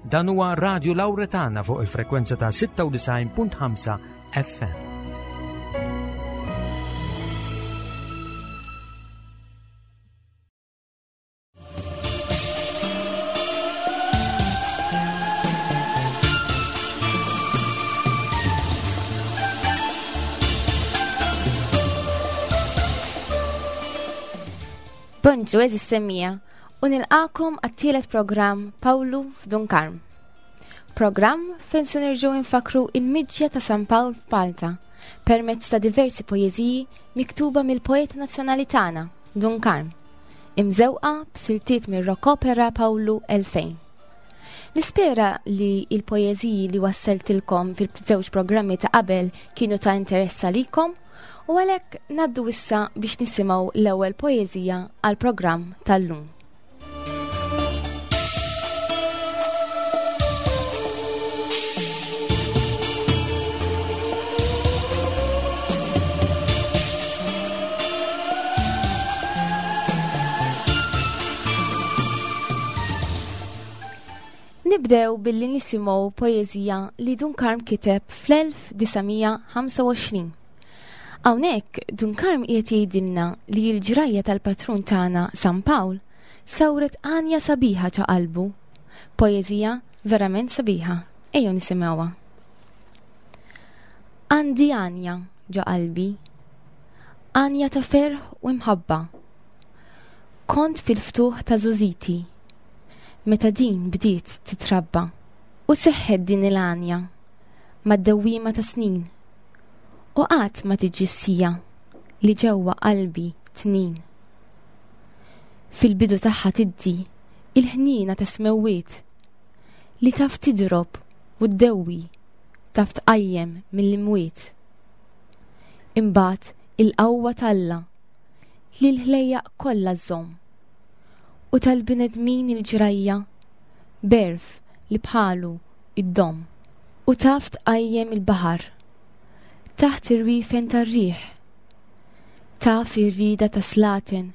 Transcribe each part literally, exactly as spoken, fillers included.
Dan huwa Radio Lauretana fuq il-frekwenza ta' sitta u disgħin punt ħamsa F M. Bonġu, għeżież semmiegħa, u nilqagħkom għat-tielet programm Pawlu f'Dun Karm. Programm fejn se nerġgħu nfakru il-miġja ta' San Pawl f'Malta permezz ta' diversi poeżiji miktuba mill-poeta nazzjonali tagħna, Dun Karm, imżewqa b'siltiet mir-rock opera Pawlu elfejn. Nispera li il-poeżiji li wassaltilkom fil-żewġ programmi ta' qabel kienu ta' interess għalikom u għalhekk ngħaddu issa biex nisimgħu l-ewwel poeżija għal-programm tal-lum. Nibdew billi nisimgħu poeżija li Dun Karm kiteb fl-elf disa' mija ħamsa u għoxrin. Hawnhekk Dun Karm qiegħed jgħidilna li l-ġrajja tal-patrun tagħna San Pawl sawret għanja sabiħa ġo qalbu. Poeżija verament sabiħa. Ejjew nisimgħuha. Għandi għanja ġo qalbi, għanja ta' ferħ u imħabba. Kont fil-ftuħ ta' żgħożiti, meta din bdiet titrabba u seħħet din il-għanja mad-dewwiema ta' snin u qatt ma tiġi s-siegħa li ġewwa qalbi tnin. Fil-bidu tagħha tiddi il-ħnina ta' smewwiet li taf tidrob u ddewwi, taf tqajjem mill-imwiet. Imbagħad il-qawwa t'Alla li l-ħlejjaq kollha żżomm u tal-bnedmin il-ġrajja b'għerf li bħalu id-dom u taf tqajjem il-baħar taħt ir-rifen tar-riħ. Taf ir-rida ta' slaten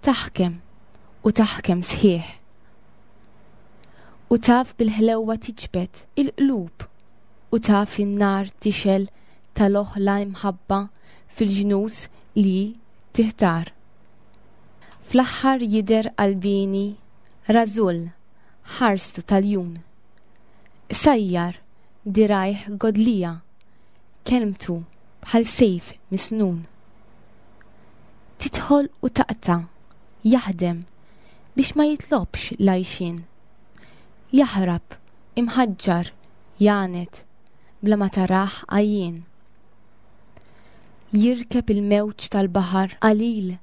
taħkem u taħkem sħiħ. U taf bil-ħlewwa tiġbed il-qlub u taf in-nar tixgħel tal-oħla imħabba fil-ġnus li tiħtar. Fl-aħħar jidher qalbieni rażul ħarstu tal-jun. Sajjar dirgħajh godlija, kelmtu bħal sejf misnun. Tidħol u taqta' jaħdem biex ma jitlobx l-għajxien. Jaħrab imħaġġar janet bla ma taraħ għajjien. Jirkeb il-mewġ tal-baħar qalil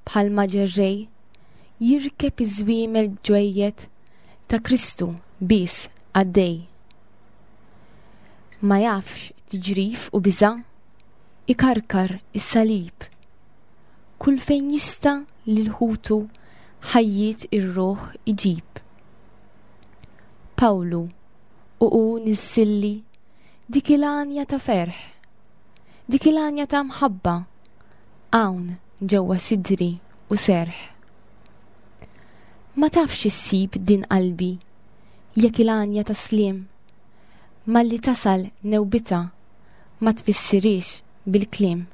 bħal ġerrej, jirkeb iż-żwiemel ġwejjed ta' Kristu bis għaddej. Ma jafx tiġrif u biża, ikarkar is-salib. Kull fejn jista' lil ħutu ħajjiet ir-ruħ iġib. Pawlu u u niżżilli dik il-għanja ta' ferħ, dik il-għanja ta' mħabba, hawn ġewwa sidri u serħ. Ma tafx issib din qalbi jekk il-għanja ta' sliem malli tasal newbita ma tfissirix bil-kliem.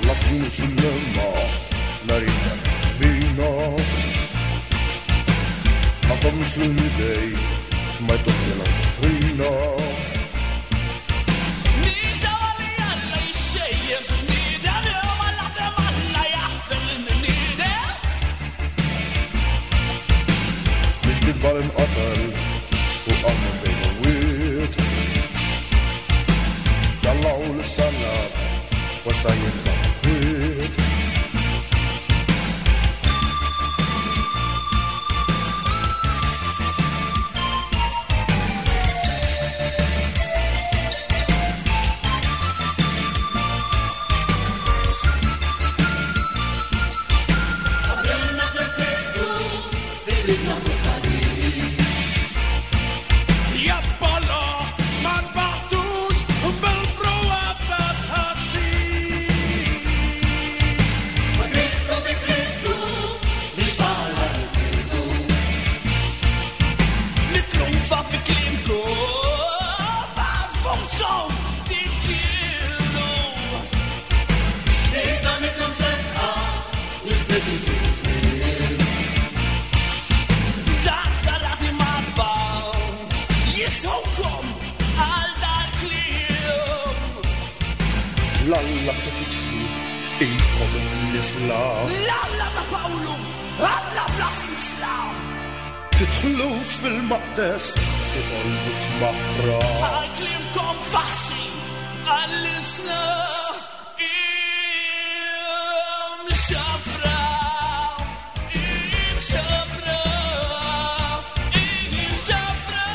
La sull'ema, la rita spina. Ma komx l-idej, ma jtokki la dottrina. Alla jixxejjem bniedem jew Alla dem Alla jaħfer lill-bniedem. Mhix kitba li nqatel u qam minn bejn l-imwiet. Ġallaw l-sallab, wasta jibqa' kwiet. Jappolo ma nbaħtux bil L-Alla li tiġru ilkom imniżla. L-Alla ta' Pawlu, Alla bla sinsla. Tidħlux fil-maqdes, titolbux maħfra. Għal kliemkom faħxi, għall-isla imxafra, imxafra, imxafra.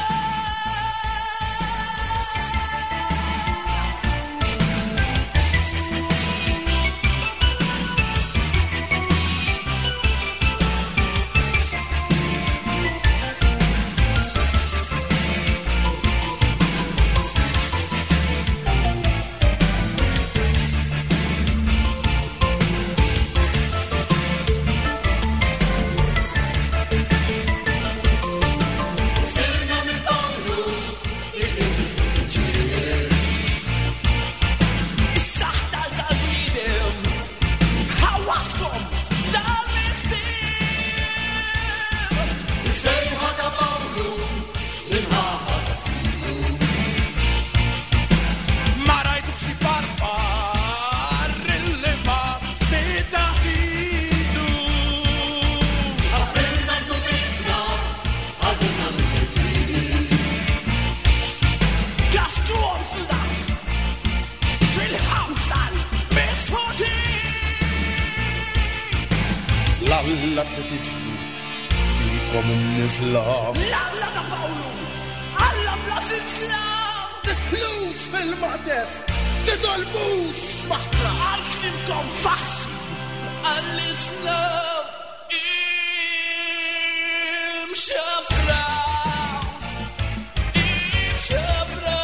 Is-saħta tal-bniedem, ħawatkom dal-mistier. Is-sejħa ta' Pawlu, l-imħabba ta' Sidu. Ma rajtux xi farfar il-liba bitaħidu. Għafilna dubitna, għażilna mill-ġiri. Kaxkruhom fil-dak, fil-ħamsal misħuti. L-Alla li tiġru ilkom imniżla. L-Alla ta' Pawlu, Alla bla sinsla. Tidħlux fil-maqdes, titolbux maħfra. Għal kliemkom faħxi, għall-Islam imxafra, imxafra,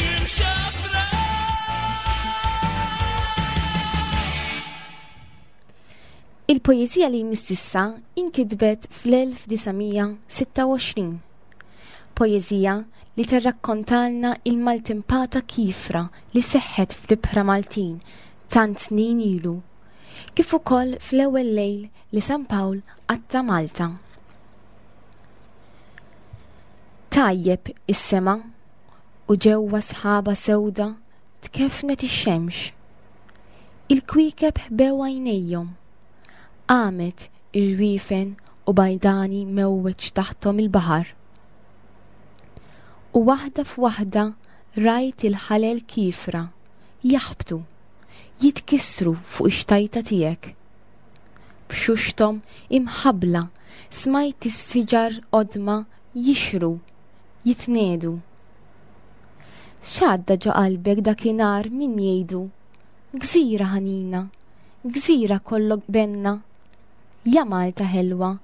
imxafra. Il-poeżija li jmiss issa inkitbet fl-elf disa' mija sitta u għoxrin. Poeżija li tirrakkontalna il-maltempata kifra li seħħet fl-ibħra Maltin tant snin ilu, kif ukoll fl-ewwel lejl li San Pawl qatta' Malta. Tajjeb is-sema u ġewwa sħaba sewda tkefnet ix-xemx. Il-kwiekeb ħbew għajnejhom. Qamet ir-riefen u bajdani mewweġ taħthom il-baħar. U waħda f'waħda rajt il-ħalel kifra jaħbtu, jitkissru fuq ix-xtajta tiegħek. B'xuxthom imħabbla smajt is-siġar qodma jixru, jitnedu. X'għadda ġo qalbek dakinhar min jgħidu, gżira ħanina, gżira kollok benna, ja Malta ħelwa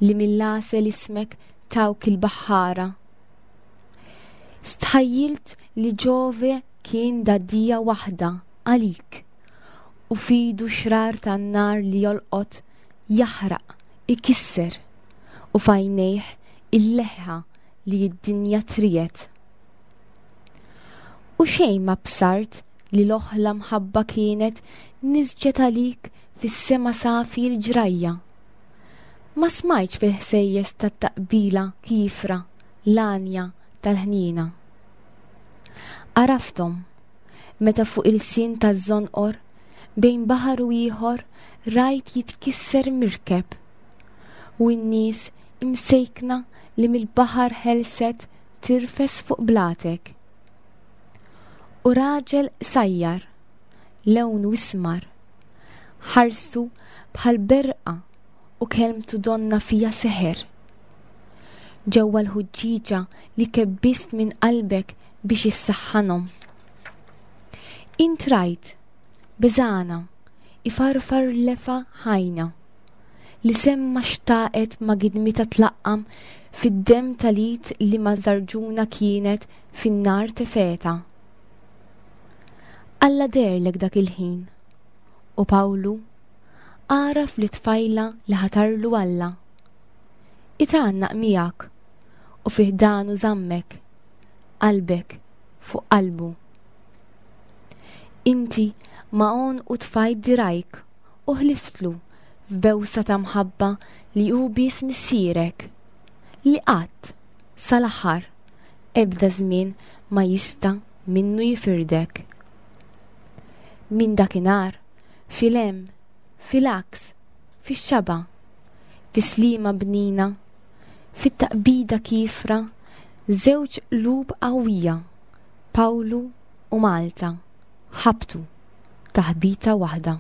li mill-għasel ismek tawk il-baħħara. Stħajjilt li Ġove kien daddija waħda għalik u fidu xrar tan-nar li jolqot jaħraq, ikisser u fajnejh il-leħħa li d-dinja trijet. U xejn ma bsart li l-oħla mħabba kienet nisġet għalik fis-sema safi l-ġrajja. Ma smajtx fil-ħsejjes tat-taqbila kifra l-għanja tal-ħnina. Għarafthom meta fuq il-sin taż-żonqor bejn baħar u ieħor rajt jitkisser mirkeb u n-nies imsejkna li mill-baħar ħelset tirfes fuq blatek. U raġel sajjar, lewnu ismar, ħarsu bħal berqa u kelmtu donna fija seħer. Ġewwa l-ħuġġieġa li kebbist minn qalbek biex issaħħanhom. Int rajt, beżana, ifarfar lefa ħajna, li semma xtaqet ma' gidmita tlaqqam fid-dem tal-id li ma' żarġuna kienet fin-nar tefeta. Alla derlek dak il-ħin, u Pawlu għaraf li tfajla li ħatarlu Alla. Itgħannaq miegħek u fih danu żammek, qalbek fuq qalbu. Inti ma' għonqu tfajt dirajk u ħliftlu f'bewsa ta' mħabba li hu biss missierek, li qatt sal-aħħar ebda żmien ma jista' minnu jifirdek. Minn dakinhar, fil-hemm, fil-għaks, fix-xaba, fis-slima bnina, fit-taqbida kiefra, żewġ qlub qawwija, Pawlu u Malta, ħabtu taħbita waħda.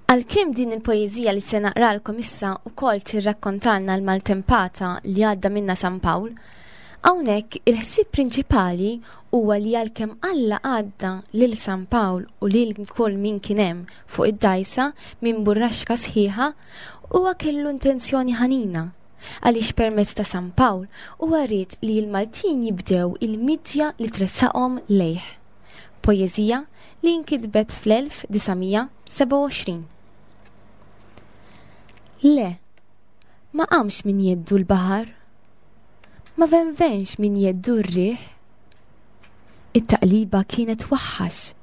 Għalkemm din il-poeżija li se naqralkom issa wkoll tirrakkontalna l-maltempata li għadda minna San Pawl, hawnhekk il-ħsieb prinċipali huwa li għalkemm Alla għadda lil San Pawl u lil kull min kien hemm fuq id-dgħajsa minn burraxka sħiħa, huwa kellu intenzjoni ħanina għaliex permezz ta' San Pawl huwa ried li l-Maltin jibdew il-miġja li tressaqhom lejh. Poeżija li nkitbet fl-elf disa' sebgħa u għoxrin. Le, ma qamx min jeddu l-baħar, ma venvenx min jeddu r-riħ. It-taqliba kienet waħħax,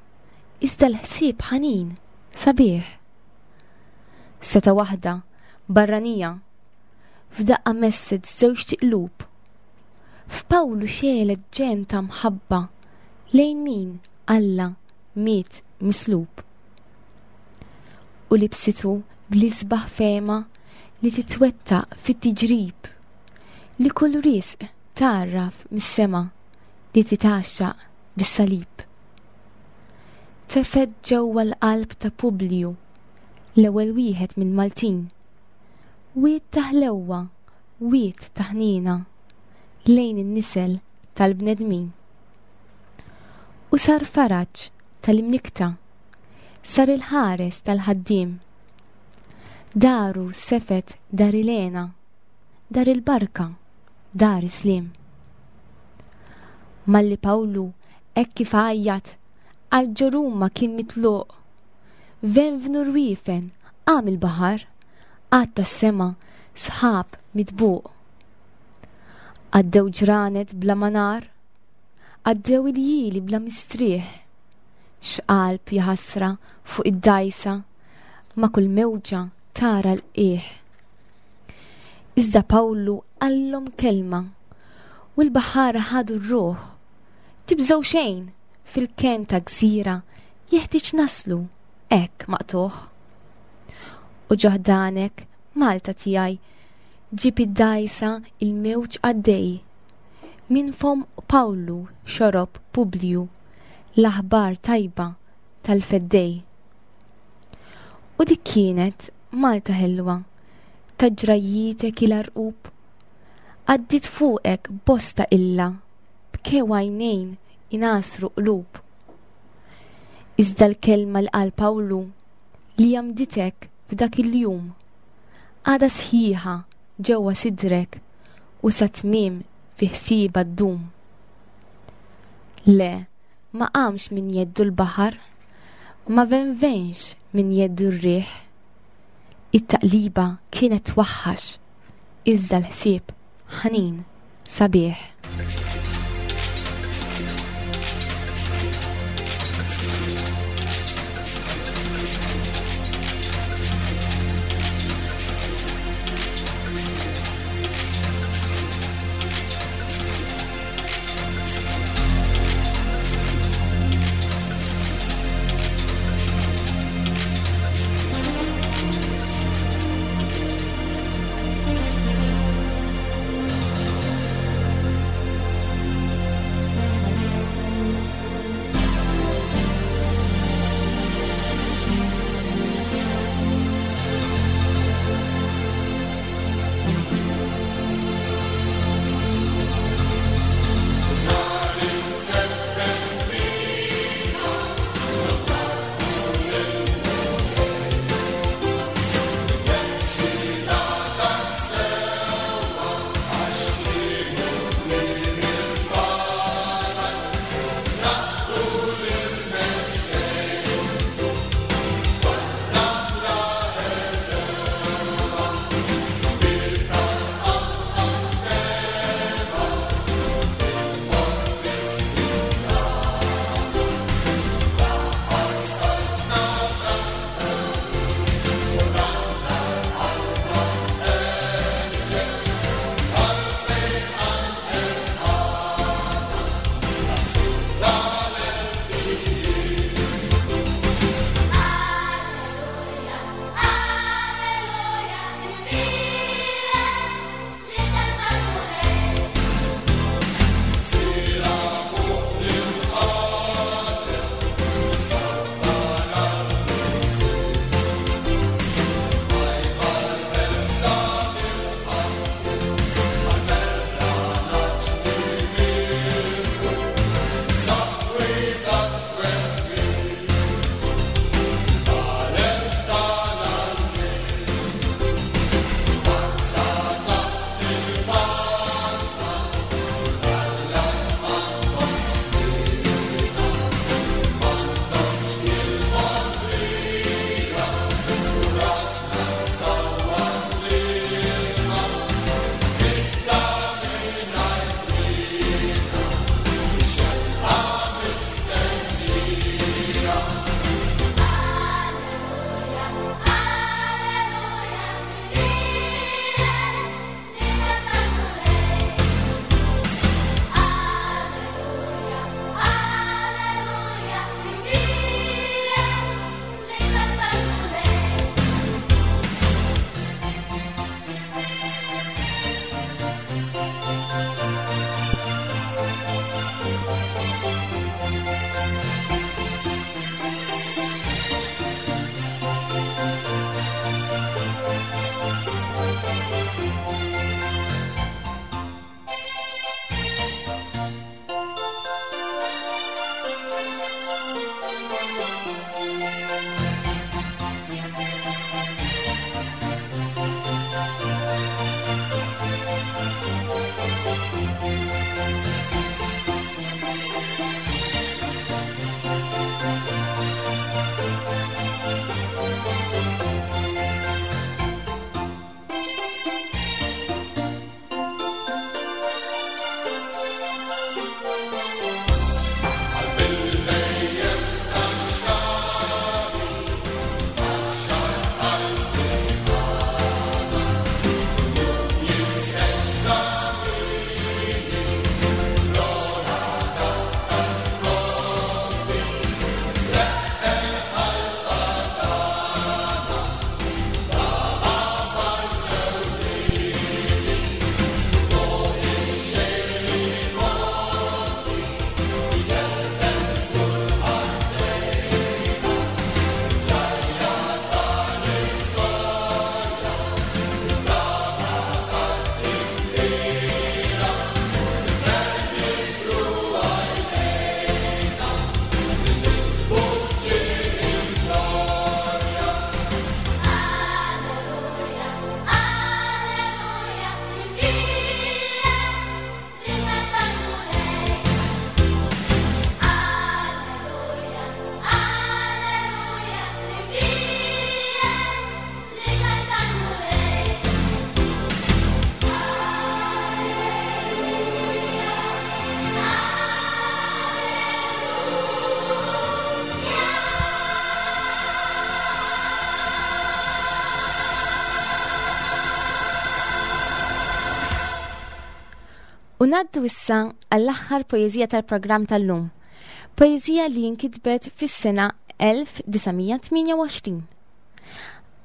iżda l-ħsieb ħanin, sabiħ. Seta waħda, barranija, f'daqqa messet żewġ tiqlub. F'Pawlu xelet ġen ta' mħabba Lejn min Alla miet mislub. U libsitu bl-isbaħ fehma li titwettaq fit-tiġrib, li kull risq tgħarraf mis-sema li titgħaxxaq bis-salib. Tefgħet ġewwa l-qalb ta' Publiju, l-ewwel wieħed mill-Maltin. Wied ta' ħlewwa, wied ta' ħniena, lejn in-nisel tal-bnedmin. U sar faraġ tal-imnikta, sar il-ħares tal-ħaddiem. Daru sefet dar il-hena, dar il-barka, dar is-sliem. Malli Pawlu hekk kif għajjat għal ġo Ruma kien mitluq. Venvnu rwiefen, qam il-baħar, għatta s-sema sħab mitbuq. Għaddew ġranet bla manar, għaddew il-jili bla mistrieħ. X'qalb jaħasra fuq id-dajsa, ma kull mewġa tara l-qiegħ. Iżda Pawlu qallhom kelma u l-baħar ħadu r-ruħ. Tibżgħu xejn, fil-ken ta' gżira jeħtieġ naslu hekk maqtuħ. U ġoħdanek, Malta tiegħi, ġib id-dajsa il-mewġ għaddej. Min fom Pawlu xorob Publiju l-aħbar tajba tal-feddej. U dik kienet Malta ħelwa, ta' ġrajjitek il-arqub, għaddit fuqek bosta illa, bkew għajnejn inasru qlub. Iżda l-kelma li qal Pawlu li jamditek f'dak il-jum, għada sħiħa ġewwa sidrek u sa tmiem fi ħsieba ddum. Le, ma qamx min jeddu l-baħar, ma venvenx min jeddu r-riħ. It-taqliba kienet twaħħax, iżda l-ħsieb ħanin sabiħ. U ngħaddu issa għall-aħħar poeżija tal-programm tal-lum. Poeżija li nkitbet fis-sena elf disa' mija tmienja u għoxrin.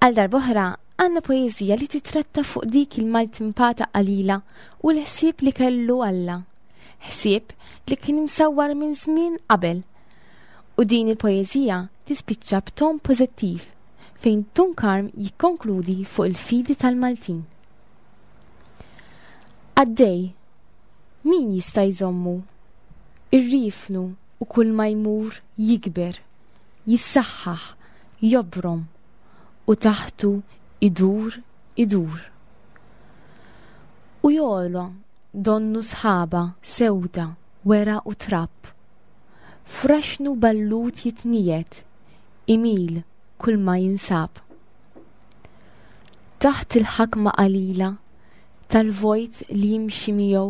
Għal darb'oħra għandna poeżija li titratta fuq dik il-maltimpata qalila u l-ħsieb li kellu Alla. Ħsieb li kien imsawwar minn żmien qabel. U din il-poeżija tispiċċa b'ton pożittiv fejn Dun Karm jikkonkludi fuq il-fidi tal-Maltin. Għaddej, min jista' jżommu? Irrifnu u kull ma jmur jikber, jissaħħaħ, jobrom u taħtu idur, idur. U jogħla donnu sħaba sewda, wera u trab. Fraxnu ballut jitnijet, imil kull ma jinsab. Taħt il-ħakma qalila tal-vojt li jimxi miegħu,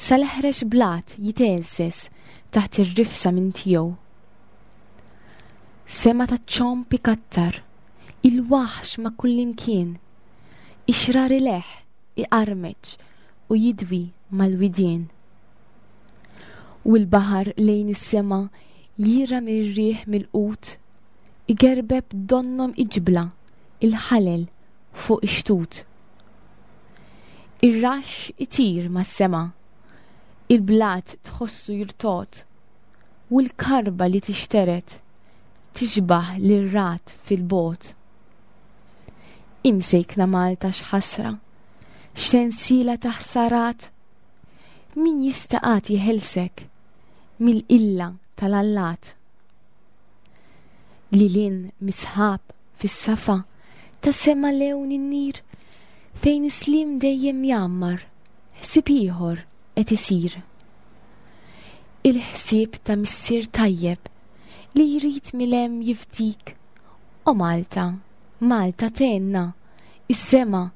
sal-eħrex blat jitelses taħt ir-rifsa minn tiegħu. Sema ta' ċomp ikattar, il-waħx ma' kullimkien, ixrar ileħ, iqarmeċ u jidwi mal-widien. U l-baħar lejn is-sema jira mir-riħ mill-qut, igerbeb donnom iġbla il-ħalel fuq ix-xtut. Ir-raxx itir mas-sema, il-blat tħossu jirtot, u l-karba li tixteret tixbaħ lir-rat fil-bot. Imsejkna Malta x'ħasra, x'sensiela ta' ħsarat, min jista' qatt jeħelsek mill-illa tal-allat. Lilin misħab fis-safa ta' sema lewn in-nir, fejn is-slim dejjem jgħammar, ħsieb ieħor qed isir. Il-ħsieb ta' missier tajjeb li jrid milem jifdik. O Malta, Malta tenna, is-sema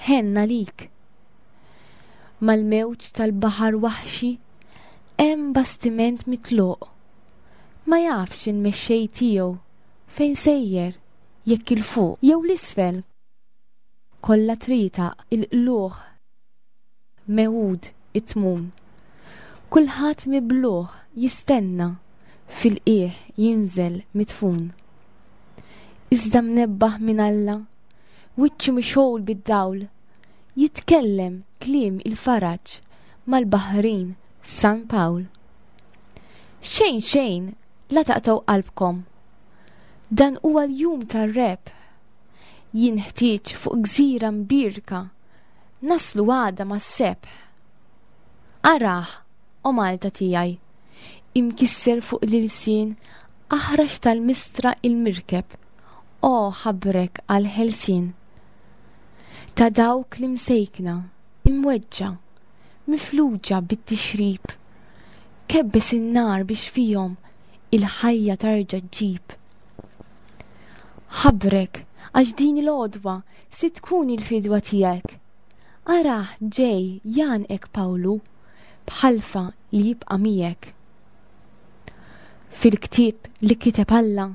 ħenna lik. Mal-mewġ tal-baħar waħxi hemm bastiment mitluq. Ma jafx il-mexxej tiegħu fejn sejjer, jekk il-fuq jew l-isfel. Kollha trita il-qluħ mewud it-tmun. Kulħadd mibluħ jistenna fil-qiegħ jinżel mitfun. Iżda mnebbaħ minn Alla, wiċċu mixgħul bid-dawl, jitkellem kliem il-faraġ mal-baħrin San Pawl. Xejn xejn la taqtgħu qalbkom. Dan huwa l-jum tar-rebħ. Jinħtieġ fuq gżira mbierka naslu għada mas-sebħ. Araħ, o Malta tiegħi, imkisser fuq l-ilsien aħrax tal-mistra il-mirkeb, o ħabrek għal-ħelsien. Ta' dawk li msejkna, imweġġa, mifluġa bit-tixrib, kebbes in-nar biex fihom il-ħajja tarġa' ġġib. Ħabrek għax din il-għodwa se tkun il-fidwa tiegħek. Araħ ġej janqek Pawlu bħalfa li jibqa' miegħek. Fil-ktieb li kiteb Alla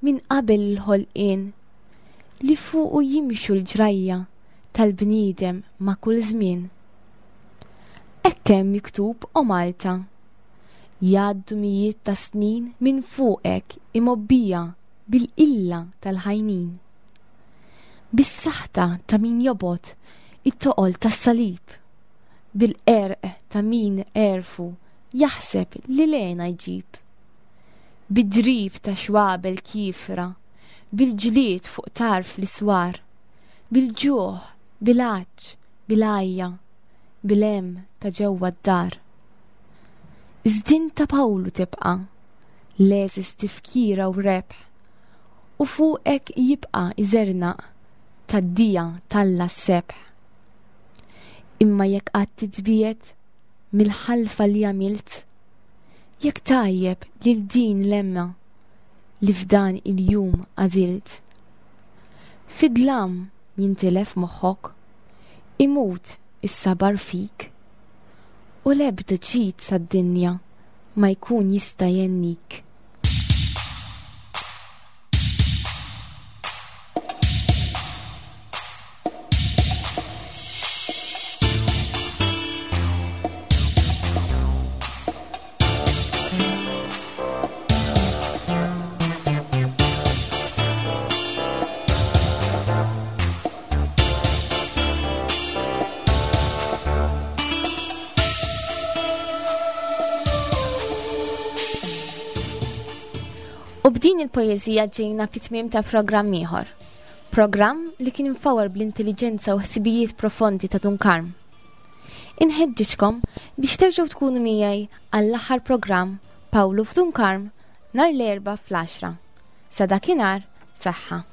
minn qabel il-ħolqien, li fuqu jimxu l-ġrajja tal-bniedem ma' kull żmien. Hekk hemm miktub o Malta, jgħaddu mijiet ta' snin minn fuqek imgħobbija bil-qilla tal-ħajnin. Bis-saħta ta' min jobgħod it-toqol tas-salib, bil-qerq ta' min għerfu jaħseb li lena jġib. Bid-drib ta' xwabel kifra, bil-ġlied fuq tarf l-iswar, bil-ġuħ, bil-għatx, bil-għajja, bil-hemm ta' ġewwa d-dar. Iżdin ta' Pawlu tibqa', l-għeżież tifkira u rebħ, u fuqek jibqa' iżernaq tad-dija talla s-sebħ. Imma jekk qatt titbiegħed mill-ħalfa li għamilt, jekk tajjeb lil din l-emma li f'dan il-jum għażilt, fid-dlam jintilef moħħok, imut is-sabar fik, u l-ebda ġid sad-dinja ma jkun jista' jennik. U b'din il-poeżija ġejna fit-tmiem ta' programm ieħor. Programm li kien imfawar bl-intelligenza u ħsibijiet profondi ta' Dun Karm. Inħeġġiġkom biex terġgħu tkunu miegħi għall-aħħar programm Pawlu f'Dun Karm nhar l-Erbgħa fl-għaxra. Sa dakinhar, saħħa.